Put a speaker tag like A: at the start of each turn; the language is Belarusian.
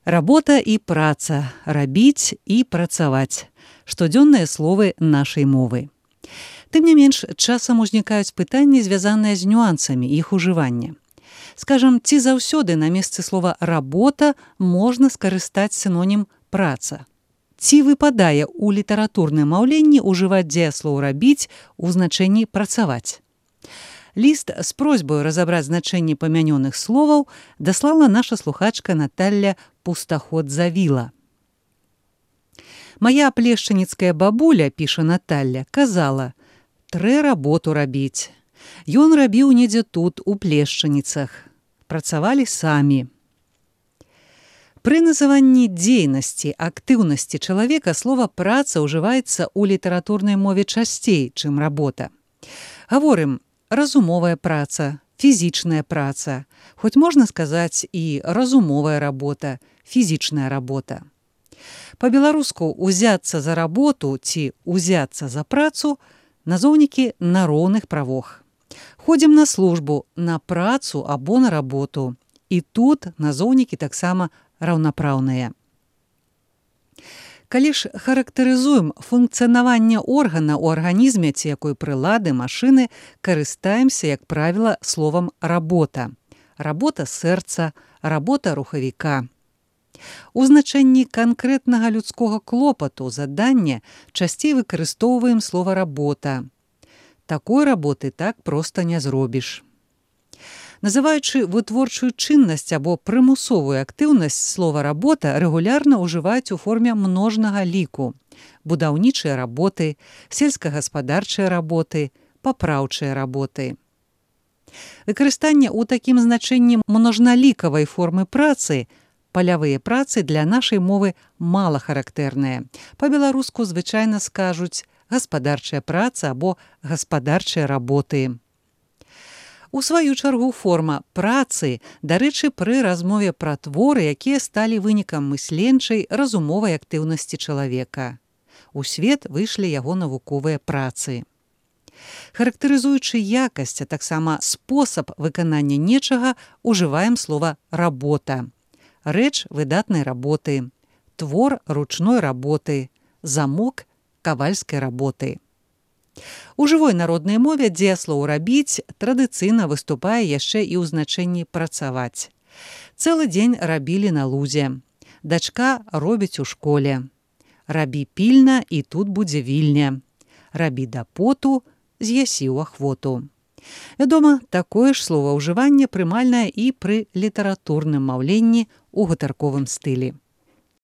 A: Работа і праца, рабіць і працаваць. Штодзённыя словы нашай мовы. Тым не менш, часам узнікаюць пытанні, звязаныя з нюансамі іх ужывання. Скажам, ці заўсёды на месцы слова «работа» можна скарыстаць сінонім «праца»? Ці выпадае ў літаратурным маўленні ўжываць дзеяслоў «рабіць» у значэнні «працаваць»? Ліст з просьбаю разабраць значэнне памянёных словаў даслала наша слухачка Наталля Пустаход-Завіла. «Мая плешчаніцкая бабуля, — піша Наталля, — казала, трэ работу рабіць. Ён рабіў недзе тут, у Плешчаніцах. Працавалі самі». Пры называнні дзейнасці, актыўнасці чалавека слова «праца» ўжываецца ў літаратурнай мове часцей, чым работа. Гаворым разумовая праца, фізічная праца, хоць можна сказаць і разумовая работа, фізічная работа. Па-беларуску «узяцца за работу» ці «узяцца за працу» назоўнікі на роўных правах. Ходзім на службу, на працу або на работу. І тут назоўнікі таксама раўнапраўныя. Калі ж характарызуем функцыянаванне органа ў арганізме ці якой прылады, машыны, карыстаемся, як правіла, словам «работа». Работа сэрца, работа рухавіка. У значэнні канкрэтнага людскога клопату, задання часцей выкарыстоўваем слова «работа». Такой работы так проста не зробіш. Называючы вытворчую чыннасць або прымусовую актыўнасць слова «работа» рэгулярна ўжываюць у форме множнага ліку. Будаўнічыя работы, сельскагаспадарчыя работы, папраўчыя работы. Выкарыстанне ў такім значэнні множналікавай формы працы, палявыя працы для нашай мовы мала характэрныя. Па-беларуску звычайна скажуць гаспадарчая праца або гаспадарчыя работы. У сваю чаргу форма працы, дарэчы, пры размове пра творы, якія сталі вынікам мысленчай, разумовай актыўнасці чалавека. У свет выйшлі яго навуковыя працы. Характарызуючы якасць, а таксама спосаб выканання нечага, ужываем слова «работа». Рэч выдатнай работы, твор ручной работы, замок кавальскай работы. У жывой народнай мове дзеяслоў «рабіць» традыцыйна выступае яшчэ і ў значэнні «працаваць». Цэлы дзень рабілі на лузе. Дачка робіць у школе. Рабі пільна, і тут будзе вільня. Рабі да поту, з'ясі ў ахвоту. Вядома, такое ж словаўжыванне прымальнае і пры літаратурным маўленні ў гутарковым стылі.